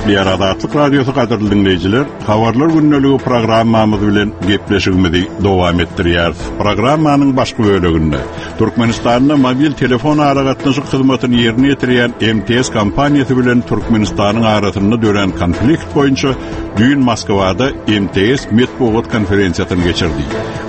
Gepleýär Azatlyk Radiosy gadyrly diňleýjiler, Habarlar gündeligi programmamyz bilen gepleşigimizi dowam etdirýäris. Programmanyň başky böleginde Türkmenistanda mobil telefon aragatnaşyk hyzmatyny ýerine ýetirýän MTS kompaniýasy bilen Türkmenistanyň arasynda dörän konflikt boýunça düýn Moskwada MTS metbugat konferensiýasyny geçirdi.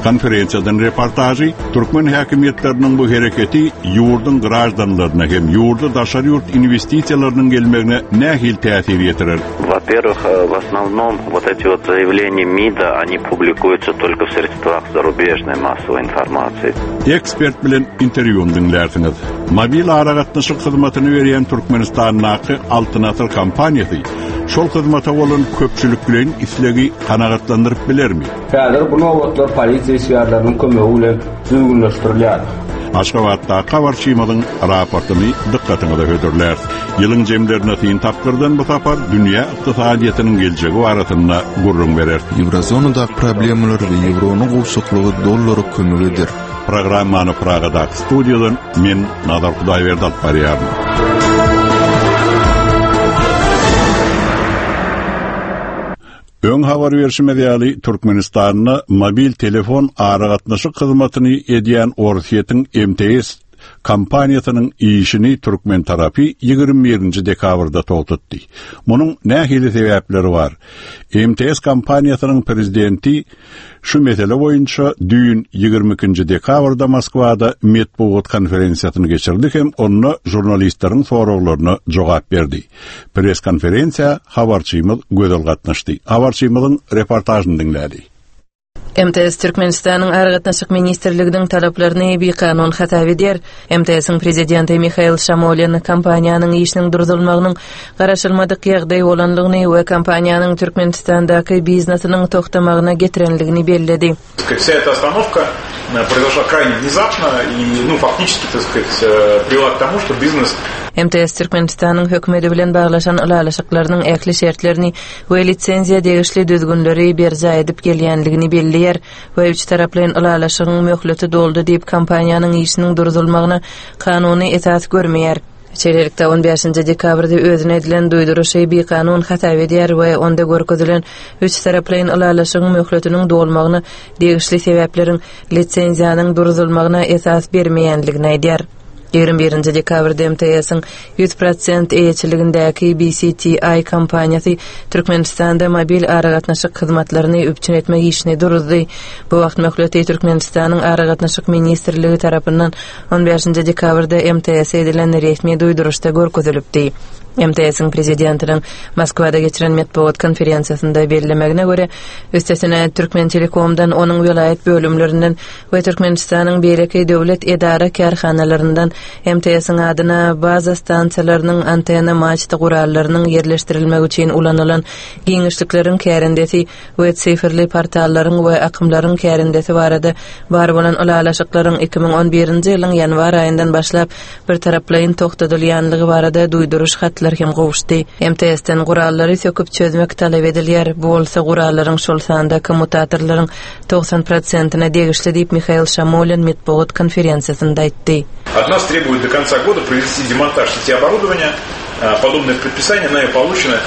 Konferensiýadan reportažy türkmen häkimiýetleriniň bu hereketi ýurduň graždanlaryna hem ýurda daşary ýurt inwestisiýalarynyň gelmegine nähili täsir ýetirer? Во-первых, э, в основном вот эти вот заявления МИДа, они публикуются только в средствах зарубежной массовой информации. Ekspert bilen interwýuny diňlärsiňiz. Mobil aragatnaşyk hyzmatyny berýän Türkmenistandaky Altyn Asyr kompaniýasy şol hyzmata bolan köpçülikleýin islegi kanagatlandyryp bilermi? Häzir bu nobatlar polisiýa işgärleriniň kömegi bilen düzgünleşdirilýär. Aşgabatdaky habarçymyzyň raportyny dykgatyňyza hödürläris. Ýylyň jemlerine syn tapgyrdan bu sapar dünýä ykdysadyýetiniň geljegi barasynda gürrüň bereris. Ýewrozonadaky problemalar we ýewronyň gowşaklygy dollara kömek eder. Programmany Pragadaky studiýadan men Nazar Hudaýberdi alyp barýaryn. Öň habar berşimiz ýaly, Türkmenistanda mobil telefon aragatnaşyk hyzmatyny edýän Orsýetiň MTS kompaniýasynyň işini türkmen tarapy 21-nji dekabrda togtatdy. Munuň nähili sebäpleri bar? MTS kompaniýasynyň prezidenti Şu mesele boýunça düýn 22-nji dekabrda Moskwada metbugat konferensiýasyny geçirdi hem onda žurnalistleriň soraglaryna jogap berdi. Press-konferensiýa habarçymyz Gözel gatnaşdy. Habarçymyzyň reportažyny diňläli. MTS Türkmenistanyň Aragatnaşyk ministrliginiň talaplaryny bikanun hasap edýär. MTS-iň prezidenti Mihail Şamolin kompaniýanyň işiniň duruzylmagynyň garaşylmadyk ýagdaý bolandygyny we kompaniýanyň Türkmenistandaky biznesiniň togtamagyna getirendigini belledi. Вся эта остановка э, произошла крайне внезапно и, ну, фактически, так сказать, э, привела к тому, что бизнес MTS Türkmenistanyň hökümeti bilen baglaşan ylalaşyklarynyň ähli şertlerini we lisenziýa degişli düzgünleri berjaý edip gelýändigini belleýär we üçtaraplaýyn ylalaşygyň möhleti doldy diýip kompaniýanyň işiniň duruzylmagyna kanuny esas görmeýär. Şeýlelikde, on bäşinji dekabrda özüne edilen duýduryşy bikanun hasap edýär we onda görkezilen üçtaraplaýyn ylalaşygyň möhletiniň dolmagyna degişli sebäpleriň lisenziýanyň duruzylmagyna esas bermeýändigini aýdýar. 21-nji dekabrda MTS-iň 100 prosent eýeçiligindäki BCTI kompaniýasy Türkmenistanda mobil aragatnaşyk hyzmatlaryny üpjün etmek işini duruzdy. Bu wagt möhleti Türkmenistanyň Aragatnaşyk ministrligi tarapyndan on bäşinji dekabrda MTS-e edilen resmi duýduryşda görkezilipdi. MTS-iň prezidentiniň Moskwada geçiren metbugat konferensiýasynda bellemegine görä, üstesine Türkmentelekomdan, onuň welaýat bölümlerinden we Türkmenistanyň beýleki döwlet edara-kärhanalaryndan MTS-iň adyna baza stansiýalarynyň antenna-maçta gurallarynyň ýerleşdirilmegi üçin ulanylan giňişlikleriň kärendesi we sifrli portallaryň we akymlaryň kärendesi barada bar bolan ylalaşyklaryň 2011-nji ýylyň ýanwar aýyndan başlap birtaraplaýyn togtadylýanlygy barada duýduryş hatlar hem gowuşdy. MTS-den gurallary söküp çözmek talap edilýär, bu bolsa gurallaryň, şol sanda kommutatorlaryň 90 prosentine degişli diýip, Mihail Şamolin metbugat konferensiýasynda aýtdy. От нас требуют до конца года провести демонтаж сети оборудования. Подобное предписание нами получено.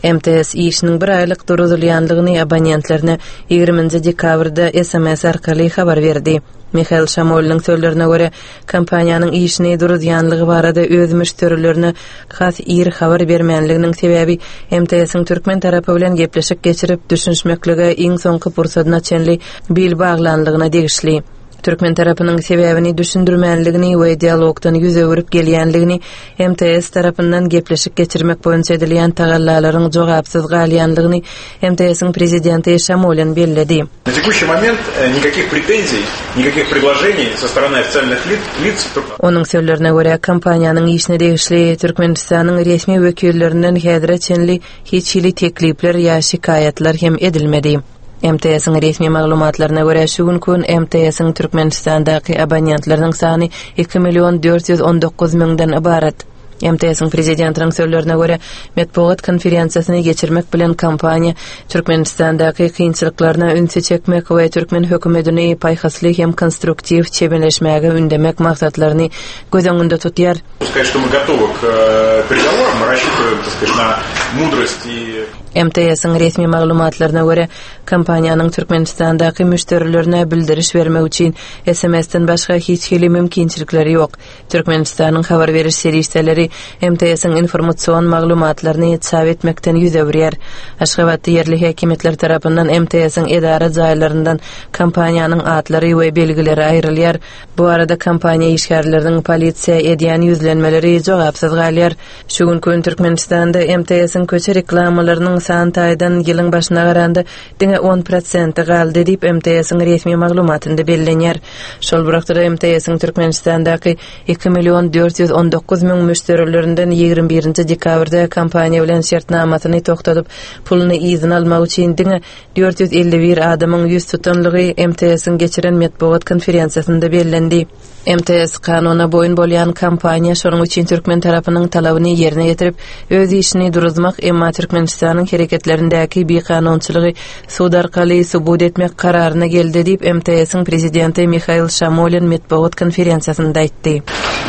MTS işiniň bir aýlyk duruzylýandygyny abonentlerine 20-nji dekabrda sms arkaly habar berdi. Mihail Şamoliniň sözlerine görä, kompaniýanyň işini duruzýanlygy barada öz müşderilerine has ir habar bermänliginiň sebäbi MTS-iň türkmen tarapy bilen gepleşik geçirip, düşünişmeklige iň soňky pursadyna çenli bil baglanlygyna degişli. Türkmen tarapynyň sebäbini düşündirmänligini we dialogdan ýüz öwrüp gelýänligini MTS tarapyndan gepleşik geçirmek boýunça edilýän tagallalaryň jogapsyz galýanlygyny MTS-iň prezidenti Şamolin belledi. Na tekuщий moment nikakih pretenziý, nikakih predloženiý so strany ofitsialnyh lic Onuň sözlerine görä, kompaniýanyň işine degişli Türkmenistanyň resmi wekillerinden häzire çenli hiç hili teklipler ýa şikaýatlar hem edilmedi. MTS-iň resmi maglumatlaryna görä, şu günki gün MTS-iň Türkmenistandaky abonentleriniň sany 2 million 419 müňden ybarat. MTS-iň prezidentiniň sözlerine görä, metbugat konferensiýasyny geçirmek bilen kompaniýa Türkmenistandaky kynçylyklaryna ünsi çekmek we türkmen hökümetini paýhasly hem konstruktiw çemeleşmäge ündemek maksatlaryny göz öňünde tutýar. Сказать, что мы готовы к э, переговорам, мы рассчитываем, так сказать, на мудрость и MTS-iň resmi maglumatlaryna görä, kompaniýanyň Türkmenistandaky müşderilerine bildiriş bermek üçin SMS-den başga hiç hili mümkinçilikleri ýok. Türkmenistanyň habar beriş serişdeleri MTS-iň informasion maglumatlaryny çap etmekden ýüz öwürýär. Aşgabatda ýerli häkimiýetler tarapyndan MTS-iň edara jaýlaryndan kompaniýanyň atlary we belgileri aýrylýar. Bu barada kompaniýa işgärleriniň polisiýa edýän ýüzlenmeleri jogapsyz galýar. Şu günki gün Türkmenistanda MTS-iň köçe reklamalarynyň san taýdan ýylyň başyna garanda diňe on prosenti galdy diýip, MTS-iň resmi maglumatynda bellenýär. Şol bir wagtda-da MTS-iň Türkmenistandaky iki million 419 müň müşderilerinden 21-nji dekabrda kompaniýa bilen şertnamasyny togtadyp, puluny yzyna almak üçin diňe 451 adamyň ýüz tutanlygy MTS-iň geçiren metbugat konferensiýasynda bellendi. MTS kanuna boýun bolýan kompaniýa, şonuň üçin türkmen tarapynyň talabyny ýerine ýetirip, öz işini duruzmak, emma Türkmenistanyň hereketlerindäki bikanunçylygy sud arkaly subut etmek kararyna geldi diýip, MTS-iň prezidenti Mihail Şamolin metbugat konferensiýasynda aýtdy.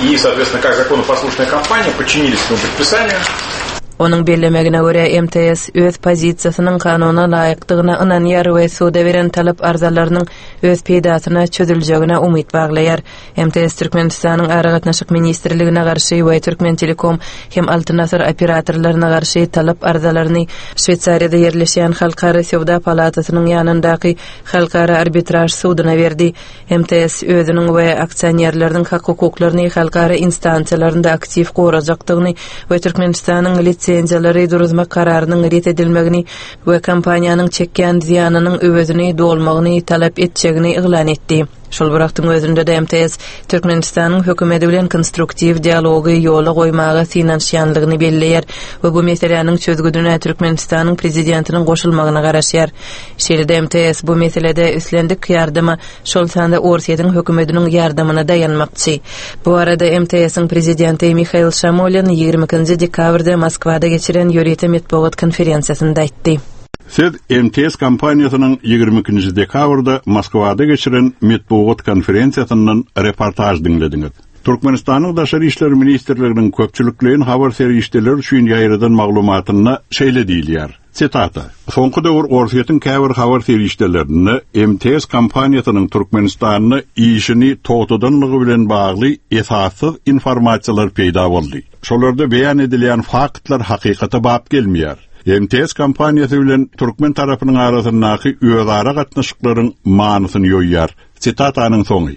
И, соответственно, как законопослушная компания, подчинились этому предписанию. Onuň bellemegine görä, MTS öz pozisiýasynyň kanuna laýykdygyna ynanýar we suda beren talap-arzalarynyň öz peýdasyna çözüljegine umyt baglaýar. MTS Türkmenistanyň Aragatnaşyk ministrligine garşy we Türkmentelekom hem Altyn asyr operatorlaryna garşy talap arzalaryny Şweýsariýada ýerleşýän Halkara söwda palatasynyň ýanyndaky Halkara arbitraž suduna berdi. MTS özüniň we aksionerleriniň hak-hukuklaryny halkara instansiýalarynda aktiw gorajakdygyny we Türkmenistanyň lisenziýalary duruzmak kararynyň ret edilmegini we kompaniýanyň çekýän zyýanynyň öwezini dolmagyny talap etjegini yglan etdi. Şol bir wagtyň özünde-de MTS Türkmenistanyň hökümeti bilen konstruktiw dialogy ýola goýmaga synanyşýanlygyny belleýär we bu meseläniň çözgüdine Türkmenistanyň Prezidentiniň goşulmagyna garaşýar. Şeýle-de MTS bu meselede islendik ýardama, şol sanda Orsýetiň hökümetiniň ýardamyna daýanmakçy. Bu barada MTS-iň prezidenti Mihail Şamolin 22-nji dekabrda Moskwada geçiren ýörite metbugat konferensiýasynda aýtdy. Siz MTS kompaniýasynyň 22-nji dekabrda Moskwada geçiren metbugat konferensiýasyndan reportaž diňlediňiz. Türkmenistanyň Daşary işler ministrliginiň köpçülikleýin habar serişdeleri üçin ýaýradan maglumatynda şeýle diýilýär. Sitata, Soňky döwür Orsýetiň käbir habar serişdelerinde MTS kompaniýasynyň Türkmenistanda işini togtadanlygy bilen bagly esassyz informasiýalar peýda boldy. Şolarda beýan edilýän faktlar hakykata bap gelmeýär. MTS kompaniýasy bilen türkmen tarapynyň arasyndaky özara gatnaşyklaryň manysyny ýoýýar. Sitatanyň soňy.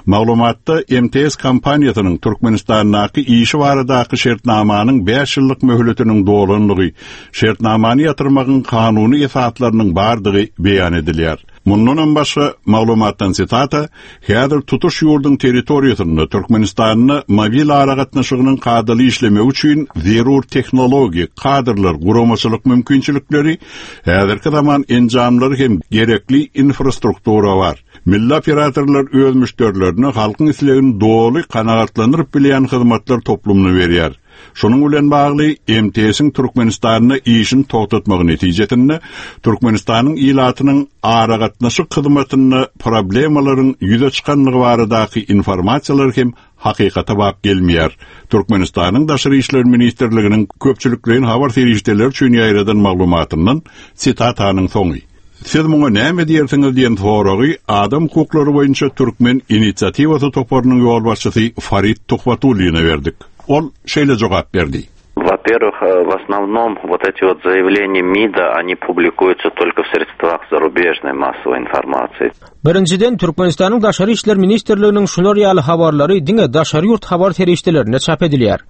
Maglumatda MTS kompaniýasynyň Türkmenistandaky işi baradaky şertnamanyň bäş ýyllyk möhletiniň dolanlygy, şertnamany ýatyrmagyň kanuny esaslarynyň bardygy beýan edilýär. Mundanam başga, maglumatdan sitata, Häzir tutuş ýurduň territoriýasynda Türkmenistanda mobil aragatnaşygynyň kadaly işlemegi üçin zerur tehnologik, kadrlar, guramaçylyk mümkinçilikleri, Häzirki zaman enjamlary hem gerekli infrastruktura bar. Milli operatorlar öz müşderilerine halkyň islegini doly kanagatlandyryp bilýän hyzmatlar toplumyny berýär. Şunuň bilen bagly, MTS-iň Türkmenistanda işini togtatmagy netijesinde Türkmenistanyň ilatynyň aragatnaşyk hyzmatynda problemalaryň ýüze çykanlygy baradaky informasiýalar hem hakykata bap gelmeýär. Türkmenistanyň Daşary işler ministrliginiň köpçülikleýin habar serişdeleri üçin ýaýradan maglumatyndan sitatanyň soňy. Siz muňa näme diýersiňiz diýen soragy adam hukuklary boýunça Türkmen inisiatiwasy toparynyň ýolbaşçysy Farid Tuhbatullina berdik. Ol şeýle jogap berdi. Во-первых, э, в основном вот эти вот заявления МИДа, они публикуются только в средствах зарубежной массовой информации. Birinjiden, Türkmenistanyň Daşary işler ministrliginiň şular ýaly habarlary diňe daşary ýurt habar serişdelerinde çap edilýär.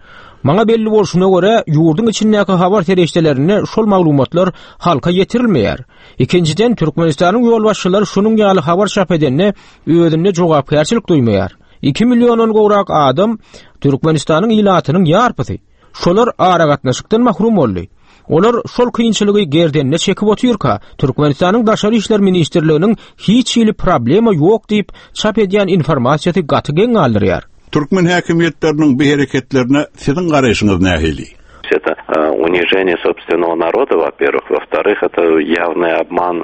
Maňa belli bolşuna görä, ýurduň içindäki habar serişdelerinde şol maglumatlar halka ýetirilmeýär. Ikinjiden, Türkmenistanyň ýolbaşçylary şunuň ýaly habar çap edende özünde jogapkärçilik duýmaýar. Iki milliondan gowrak adam Türkmenistanyň ilatynyň ýarpysy. Şolar aragatnaşykdan mahrum boldy. Olar şol kynçylygy gerdenine çekip otyrka, Türkmenistanyň Daşary işler ministrliginiň hiç hili problema ýok diýip çap edýän informasiýasy gaty geň galdyrýar. Türkmen häkimiýetleriniň bu hereketlerine siziň garaýşyňyz nähili? Это унижение собственного народа, во-первых. Во-вторых, это явный обман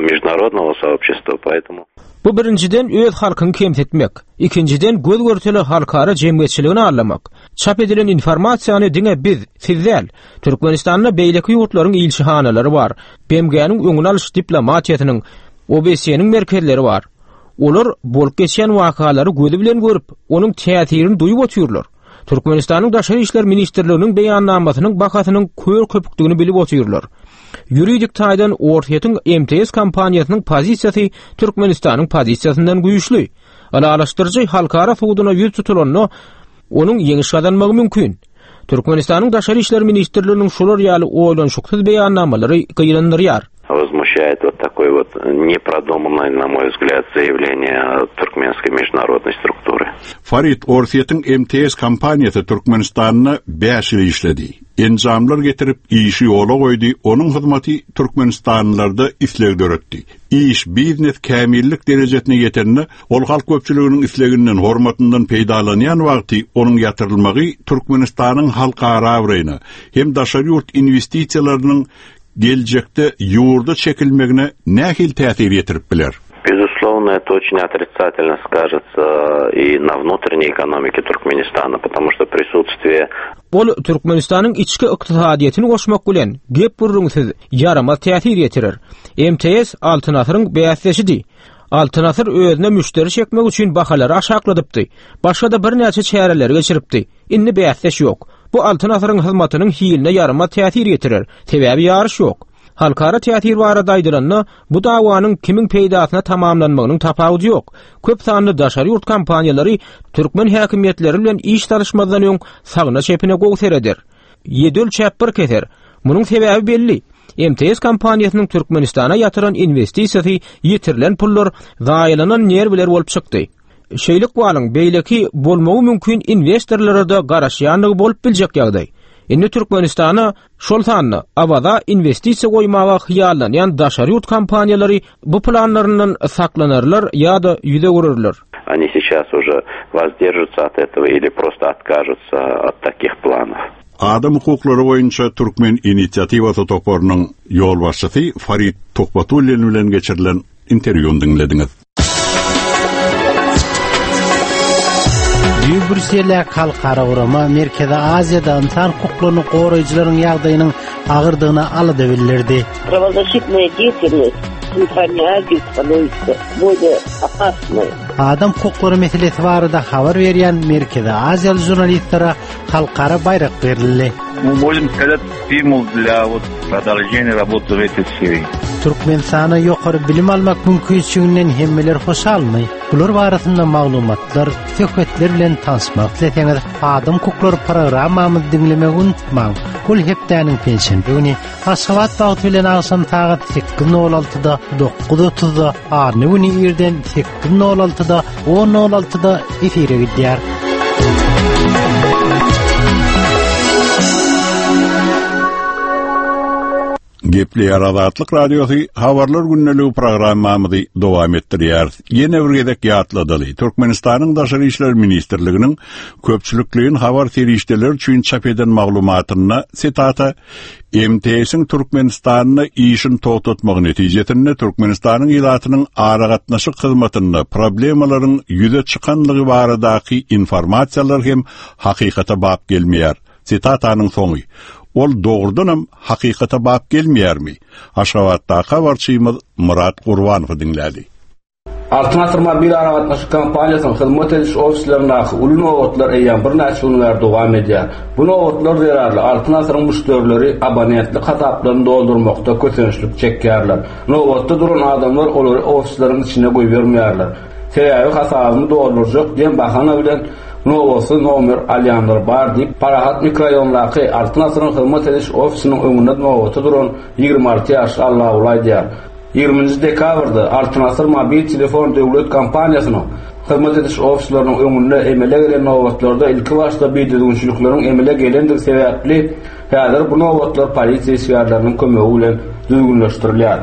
международного сообщества, поэтому... Bu birinjiden öz halkyňy kemsitmek, ikinjiden göz-görtele halkara jemgyýetçiligini aldamak. Çap edilen informasiýany diňe biz, siz däl, Türkmenistanda beýleki ýurtlaryň ilçihanalary bar, BMG-niň öňüni alyş diplomatiýasynyň, OBSE-niň merkezleri bar. Olar bolup geçýän wakalary gözi bilen görüp, onuň täsirini duýup otyrlar. Türkmenistanyň Daşary işler ministrliginiň beýannamasynyň bahasynyň kör köpükdigini bilip otyrlar. Ýuridik taýdan Orsýetiň MTS kompaniýasynyň pozisiýasy Türkmenistanyň pozisiýasyndan güýçli. Ylalaşdyryjy halkara suduna ýüz tutulanda, onuň ýeňiş gazanmagy mümkin. Türkmenistanyň Daşary işler ministrliginiň şular ýaly oýlanyşyksyz beýannamalary gynandyrýar. Возмущает вот такое вот непродуманное, на мой взгляд, заявление туркменской международной структуры. Farid, Orsýetiň MTS kompaniýasy Türkmenistanda bäş ýyl işledi. Enjamlar getirip, işi ýola goýdy, onuň hyzmaty türkmenistanlylarda isleg döretdi. Iş, biznes kämillik derejesine ýetende, ol halk köpçüliginiň isleginden, hormatyndan peýdalanýan wagty onuň ýatyrylmagy Türkmenistanyň halkara abraýyna hem daşary ýurt inwestisiýalarynyň geljekde ýurda çekilmegine nähili täsir ýetirip biler? Безусловно, это очень отрицательно скажется и на внутренней экономике Туркменистана, потому что присутствие Ol Türkmenistanyň içki ykdysadyýetini goşmak bilen, gep-gürrüňsiz, ýaramaz täsir ýetirer. MTS Altyn asyryň bäsdeşidi. Altyn asyr özüne müşderi çekmek üçin bahalary aşakladypdy. Başga-da birnäçe çäreleri geçiripdi. Indi bäsdeş ýok. Bu Altyn asyryň hyzmatynyň hiline ýaramaz täsir ýetirer. Sebäbi ýaryş ýok. Halkara täsir barada aýdylanda, bu dawanyň kimiň peýdasyna tamamlanmagynyň tapawudy ýok. Köp sanly daşary ýurt kompaniýalary türkmen häkimiýetleri bilen iş salyşmazdan öň sagyna-çepine gowy sereder. Ýedi ölçäp bir keser. Munuň sebäbi belli. MTS kompaniýasynyň Türkmenistana ýatyran inwestisiýasy ýitirilen pullar, zaýalanan nerwiler bolup çykdy. Şeýle ykbalyň beýleki bolmagy mümkin inwestorlara-da garaşýandygy bolup biljek ýagdaý. Indi Türkmenistana, şol sanda Awaza inwestisiýa goýmaga hyýallanýan daşary ýurt kompaniýalary bu planlaryndan saklanarlar ýa-da ýüz öwürerler. Oni seýças уже wozdержатся от этого ili prosto otkažutsa ot takih planow. Adam hukuklary boýunça Türkmen inisiatiwasy toparynyň ýolbaşçysy Farid Tuhbatullin bilen geçirilen interwýuny diňlediňiz. Düýn Brýusseldäki halkara gurama Merkezi Aziýada ynsan hukuklaryny goraýjylaryň ýagdaýynyň agyrdygyna alada bildirdi. Правозащитная деятельность в Центральной Азии становится более опасной. Adam hukuklary meselesi barada habar berýän Merkezi Aziýaly žurnalistlere halkara baýrak berildi. Мы можем сказать стимул для вот продолжения работы в этой сфере. Türkmenistana ýokary bilim almak mümkinçiliginden hemmeler hoşalmy? Bular barasynda maglumatlar, söhbetler bilen tanyşmak isleseňiz, Adam hukuklary programmamyzy diňlemegi unutmaň. Ol hepdäniň penşenbe güni Aşgabat wagty bilen agşam sagat 8:06-da, 9:30-da, anna güni irden 8:06-da, 10:06-da efire gidýär. Gepleýär Azatlyk Radiosy Habarlar gündeligi programmamyzy dowam etdirýäris. Ýene bir gezek ýatladaly, Türkmenistanyň Daşary işler ministrliginiň köpçülikleýin habar serişdeleri üçin çap eden maglumatynda, sitata, MTS-iň Türkmenistanda işini togtatmagy netijesinde Türkmenistanyň ilatynyň aragatnaşyk hyzmatynda problemalaryň ýüze çykanlygy baradaky informasiýalar hem hakykata bap gelmeýär. Sitatanyň soňy. Ol dogrudanam hakykata bap gelmeýärmi? Aşgabatdaky habarçymyz Myrat Gurbanowy diňläli. Altyn Asyr mobil aragatnaşyk kompaniýasynyň hyzmat ediş ofislerindäki uly nobatlar eýýäm birnäçe gün bäri dowam edýär. Bu nobatlar zerarly Altyn Asyryň müşderileri abonentlik hasaplaryny doldurmakda kösençlik çekýärler. Nobatda duran adamlar olary ofisleriň içine goýbermeýärler. Sebäbi hasabymy doldurjak diýen bahana bilen nobatsyz nomer alýanlar bar diýip, Parahat mikroraýondaky Altyn Asyryň hyzmat ediş ofisiniň öňünde nobata duran 26 ýaşly Allaguly aýdýar. Ýigriminji dekabrda Altyn Asyr mobil telefon döwlet kompaniýasynyň hyzmat ediş ofisleriniň öňünde emele gelen nobatlarda ilkibaşda bidüzgünçilikleriň emele gelendigi sebäpli, häzir bu nobatlar polisiýa işgärleriniň kömegi bilen düzgünleşdirilýär.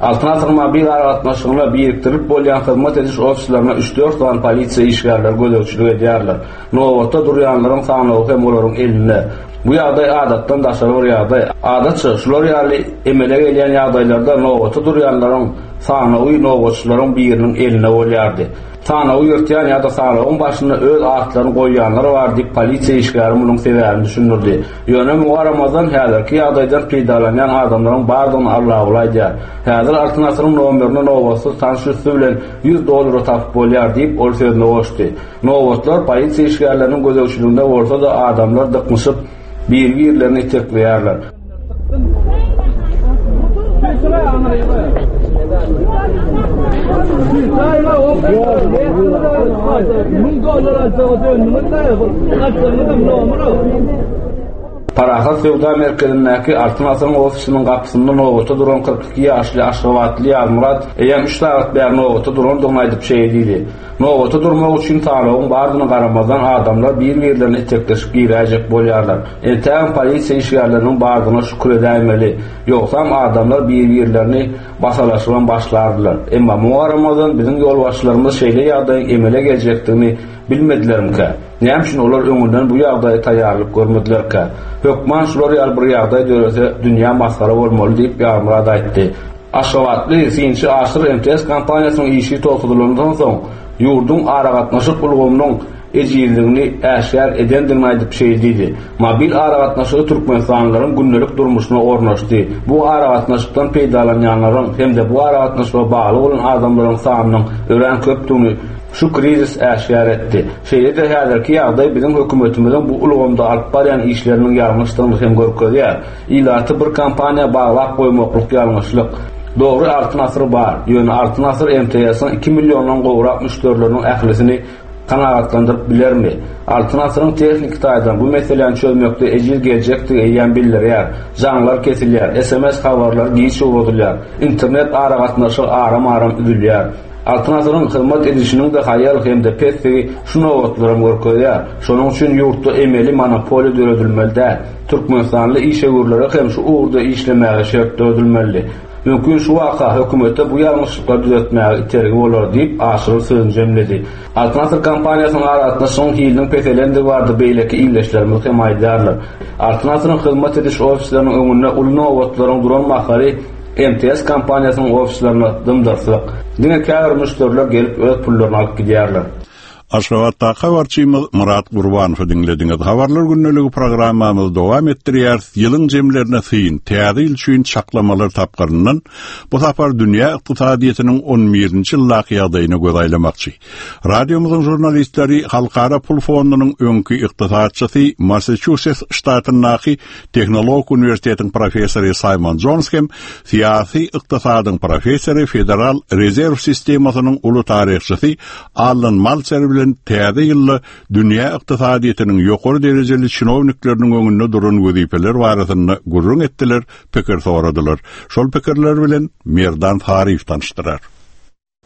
Altyn asyr mobil aragatnaşygyna birikdirilip bolýan hyzmat ediş ofislerine üç-dört sany polisiýa işgärleri gözegçilik edýärler. Nobatda durýanlaryň sanawy hem olaryň elinde. Bu ýagdaý adatdan daşary bir ýagdaý. Adatça, şular ýaly emele gelýän ýagdaýlarda nobata durýanlaryň sanawy nobatçylaryň biriniň elinde bolýardy. Sanawy ýyrtýan ýa-da sanawyň başynda öz atlaryny goýýanlar bar diýip, polisiýa işgäri munuň sebäbini düşündirdi. Ýöne muňa garamazdan, häzirki ýagdaýdan peýdalanýan adamlaryň bardygyny Allaguly aýdýar. Häzir Altyn asyryň nomerini nobatsyz tanyş üsti bilen 100 dollara tapyp bolýar diýip, ol sözüne goşdy. Nobatlar polisiýa işgärleriniň gözegçiliginde bolsa-da, adamlar dyknyşyp, biri-birlerini itekleýärler. Parahat söwda merkezindäki Altyn asyryň ofisiniň gapysynda nobata duran 42 ýaşly aşgabatly Ýazmyrat eýýäm üç sagat bäri nobata durandygyny aýdyp şeýle diýdi, Nobata durmak üçin sanawyň bardygyna garamazdan adamlar bir-birlerini itekleşip giräýjek bolýarlar. Entägem polisiýa işgärleriniň bardygyna şükür edäýmeli. Ýogsam adamlar bir-birlerini basalaşybam başlardylar. Emma muňa garamazdan biziň ýolbaşçylarymyz şeýle ýagdaýyň emele geljekdigini bilmedilermikä? Näme üçin olar öňünden bu ýagdaýa taýýarlyk görmedilerkä? Hökman şular ýaly bir ýagdaý dörese dünýä masgara bolmaly diýip Ýazmyrat aýtdy. Aşgabatly synçy Aşyr MTS kompaniýasynyň işi togtadylandan soň, ýurduň aragatnaşyk ulgamynyň ejizligini äşgär edendigini aýdyp şeýle diýdi, Mobil aragatnaşygy türkmenistanlylaryň gündelik durmuşyna ornaşdy. Bu aragatnaşykdan peýdalanýanlaryň hem-de bu aragatnaşyga bagly bolan adamlaryň sanynyň örän köpdügini şu krizis äşgär etdi. Şeýle-de häzirki ýagdaý biziň hökümetimiziň bu ulgamda alyp barýan işleriniň ýalňyşdygyny hem görkezýär. Ilaty bir kompaniýa baglap goýmaklyk ýalňyşlyk. Dogry Altyn asyr bar, ýöne Altyn asyr MTS-iň iki milliondan gowrak müşderileriniň ählisini kanagatlandyryp bilermi? Altyn asyryň tehniki taýdan bu meseläni çözmekde ejiz geljekdigi eýýäm bildirýär. Jaňlar kesilýär, sms habarlary giç ugradylýar, internet aragatnaşygy aram-aram üzülýär. Altyn asyryň hyzmat edişiniň-de haýal hem-de pesdigi şu nobatlaram görkezýär. Şonuň üçin ýurtda emeli monopoliýa döredilmeli däl. Türkmenistanly işewürlere hem şu ugurda işlemäge şert döredilmeli. Mümkin şu waka hökümete bu ýalňyşlyklary düzetmäge itergi bolar diýip, Aşyrow sözüni jemledi. Altyn asyr kompaniýasynyň aragatnaşygyň hiliniň peselendigi barada beýleki ildeşlerimiz hem aýdýarlar. Altyn asyryň hyzmat ediş ofisleriniň öňünde uly nobatlaryň duran mahaly MTS kompaniýasynyň ofislerinde dym-dyrslyk. Diňe käbir müşderiler gelip öz pullaryny alyp gidýärler. Aşgabatdaky habarçymyz Myrat Gurbanowy diňlediňiz. Habarlar gündeligi programmamyzy dowam etdirýäris. Ýylyň jemlerine syn, täze ýyl üçin çaklamalar tapgyryndan bu sapar dünýä ykdysadyýetiniň on birinji ýyldaky ýagdaýyna göz aýlamakçy. Radiomyzyň žurnalistleri Halkara pul fondunyň öňki ykdysatçysy, Massaçusets ştatyndaky Tehnologik uniwersitetiň professory Saýmon Jons hem syýasy ykdysadyň professory, Federal rezerw sistemasynyň uly taryhçysy Allan Maltser bilen täze ýylda dünýä ykdysadyýetiniň ýokary derejeli çinownikleriniň öňünde duran wezipeler barasynda gürrüň etdiler, pikir soradylar. Şol pikirler bilen Merdan Saryýew tanyşdyrar.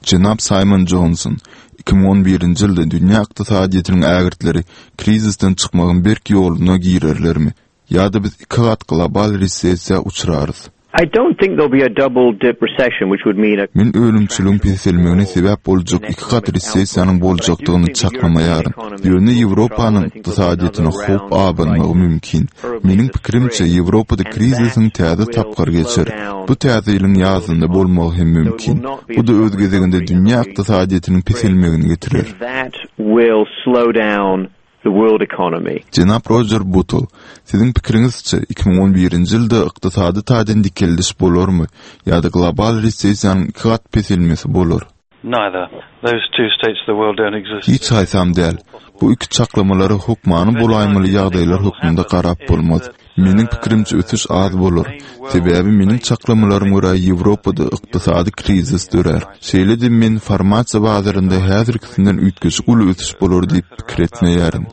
Jenap Saýmon Jonson, 2011-nji ýylda dünýä ykdysadyýetiniň ägirtleri krizisden çykmagyň berk ýoluna girerlermi ýa-da biz ikigat global resessiýa uçrarys? I don't think there'll be a double dip recession which would mean a Men önümçiligiň peselmegine sebäp boljak ikigat resessiýanyň boljakdygyny çaklamaýaryn. Ýöne Ýewropanyň ykdysadyýetine howp abanmagy mümkin. Meniň pikirimçe, Ýewropada krizisiň täze tapgyry geçer. Bu täze ýylyň ýazynda bolmagy hem mümkin. Bu-da öz gezeginde dünýä ykdysadyýetiniň peselmegine getirer. Jenap Rojer Butl, siziň pikiriňizçe, 2011-nji ýylda ykdysady taýdan dikeldiş bolarmy ýa-da global resessiýanyň ikigat peselmesi bolar? Hiç haýsam däl. Bu iki çaklamalara hökmany bolaýmaly ýagdaýlar hökmünde garap bolmaz. Meniň pikirimçe ösüş az bolar. Sebäbi meniň çaklamalaryma görä Ýewropada ykdysady krizis dörär. Şeýle-de men farmasiýa bazarynda häzirkisinden üýtgeşik uly ösüş bolar diýip pikir etmeýärin.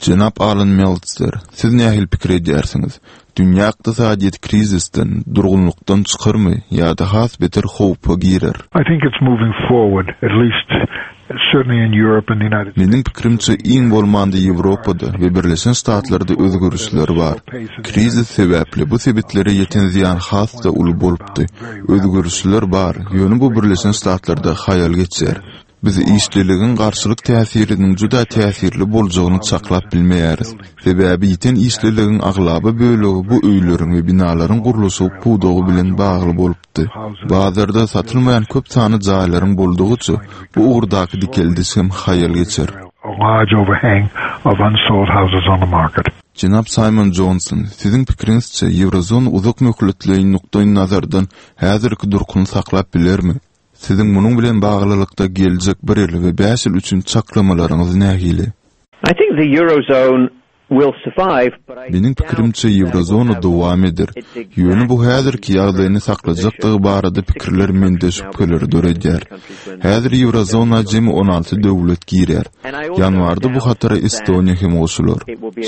Jenap Alan Meltzer, siz nähili pikir edýärsiňiz? Dünýä ykdysadyýeti krizisden, durgunlykdan çykarmy ýa-da has beter howpa girer? I think it's moving forward, at least. Meniň pikirimçe, iň bolmanda Ýewropada we Birleşen Ştatlarda özgerişler bar. Krizis sebäpli bu sebitlere ýeten zyýan has-da uly bolupdy. Özgerişler bar, ýöne bu Birleşen Ştatlarda haýal geçýär. Biz işliligiň garşylyk täsiriniň juda täsirli boljagyny çaklap bilmeýäris. Sebäbi ýiten işliligiň aglaba bölegi bu öýleriň we binalaryň gurluşygy pudagy bilen bagly bolupdy. Bazarda satylmaýan köp sanly jaýlaryň boldugyça, bu ugurdaky dikeldiş hem haýal geçer. Jenap Saýmon Jonson, siziň pikiriňizçe, Ýewrozona uzak möhletleýin nukdaýnazardan häzirki durkuny saklap bilermi? Siziň munuň bilen baglylykda geljek bir ýyl we bäş ýyl üçin çaklamalaryňyz nähili? I think the Eurozone will survive, but I Meniň pikirimçe, Ýewrozona dowam eder. Ýöne bu häzirki ýagdaýyny saklajakdygy barada pikirler mende şübheleri döredýär. Häzir Ýewrozona jemi 16 döwlet girýär. Ýanwarda bu hatara Estoniýa hem goşular.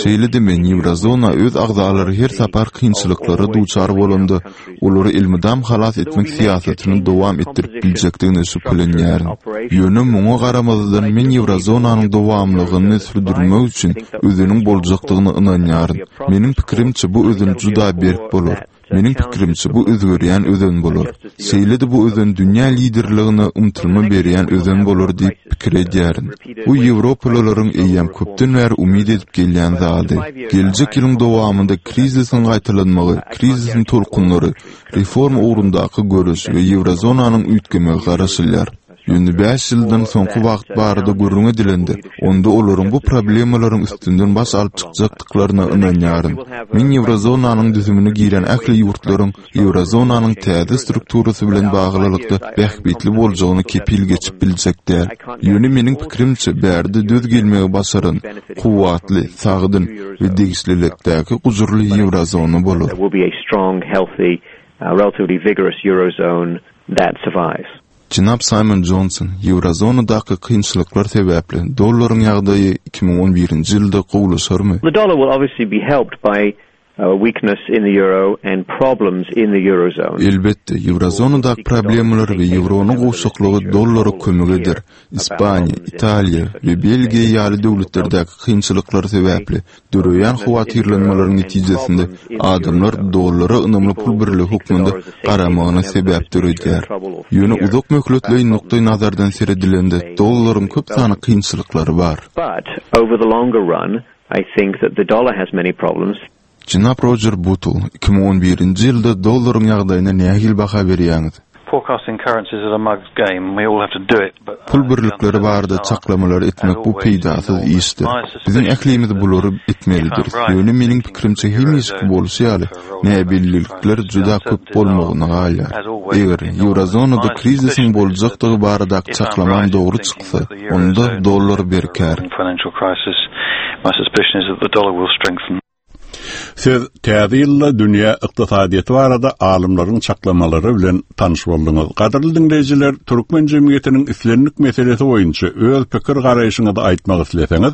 Şeýle-de men Ýewrozona öz agzalary her sapar kynçylyklara duçar bolanda, olary elmydam halas etmek syýasatyny dowam etdirip biljekdigine şübhelenýärin. Ýöne muňa garamazdan men Ýewrozonanyň dowamlygyny sürdürmek üçin özeniň boljakdygyna ynanýaryn. Meniň pikirimçe bu özen juda berk bolar. Meniň pikirimçe bu özgerýän özen bolar. Şeýle-de bu özen dünýä liderligine ymtylma berýän özen bolar diýip pikir edýärin. Bu ýewropalylaryň eýýäm köpden bäri umyt edip gelýän zady. Geljek ýylyň dowamynda krizisiň gaýtalanmagy, krizisiň tolkunlary, reforma ugrundaky göreş we ýewrozonanyň üýtgemegi garaşylýar. Ýöne bäş ýyldan soňky wagt barada gürrüň edilende, onda olaryň bu problemalaryň üstünden baş alyp çykjakdyklaryna ynanýaryn. Men ýewrozonanyň düzümine giren ähli ýurtlaryň Ýewrozonanyň täze strukturasy bilen baglylykda bähbitli boljagyna kepil geçip biljek däl. Ýöne meniň pikirimçe, bärde döz gelmegi başaran, kuwwatly, sagdyn we degişlilikdäki gujurly Ýewrozona bolar. Jenap Saýmon Jonson, Ýewrozonadaky kynçylyklar sebäpli dollaryň ýagdaýy 2011-nji ýylda gowulaşarmy? The dollar will obviously be helped by weakness in the euro and problems in the eurozone. Elbetde, ýewrozonadaky problemalar we ýewronyň gowşaklygy dollara kömek eder. Ispaniýa, Italiýa we Belgiýa ýaly döwletlerdäki kynçylyklar sebäpli döreýän howatyrlanmalaryň netijesinde adamlar dollara ynamly pul birligi hökmünde garamagyna sebäp döredýär. Ýöne uzak möhletleýin nukdaý nazardan seredilende dollaryň köp sanly kynçylyklary bar. But over the longer run, I think that the dollar has many problems. Jenap Rojer Butl, 2011-nji ýylda dollaryň ýagdaýyna nähili baha berýäňiz? Forecasting currencies is a mug's game and we all have to do it, but Pul birlikleri barada çaklamalar etmek bu peýdasyz işdir. Biziň ählimiz bulary etmelidiris. Ýöne meniň pikirimçe hemişeki bolşy ýaly näbellilikler juda köp bolmagyna galýar. Eger Ýewrozonada krizisiň boljakdygy baradaky çaklamam dogry çyksa, Onda dollar berkär. Siz täze ýylda dünýä ykdysadyýeti barada alymlaryň çaklamalary bilen tanyş bolduňyz. Gadyrly diňleýjiler, türkmen jemgyýetiniň islendik meselesi boýunça öz pikir-garaýşyňyzy aýtmak isleseňiz,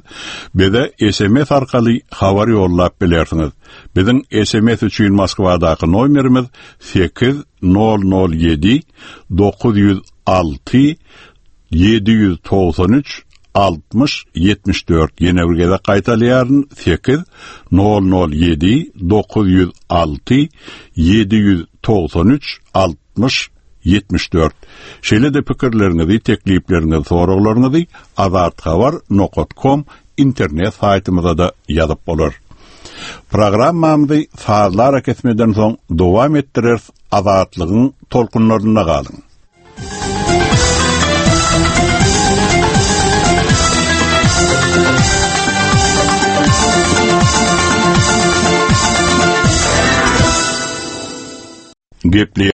bize sms arkaly habar ýollap bilersiňiz. Biziň sms üçin Moskwadaky nomerimiz 8007 906 793 60 74 ýene bir gezek gaýtalaýaryn 8 007 906 793 60 74 Şeýle-de pikirleriňizi, teklipleriňizi, soraglaryňyzy azathabar nokat kom internet saýtymyza-da ýazyp bolar. Programmamyzy sazly arakesmeden soň dowam etdireris Azatlygyň tolkunlarynda galyň. Gepleýär.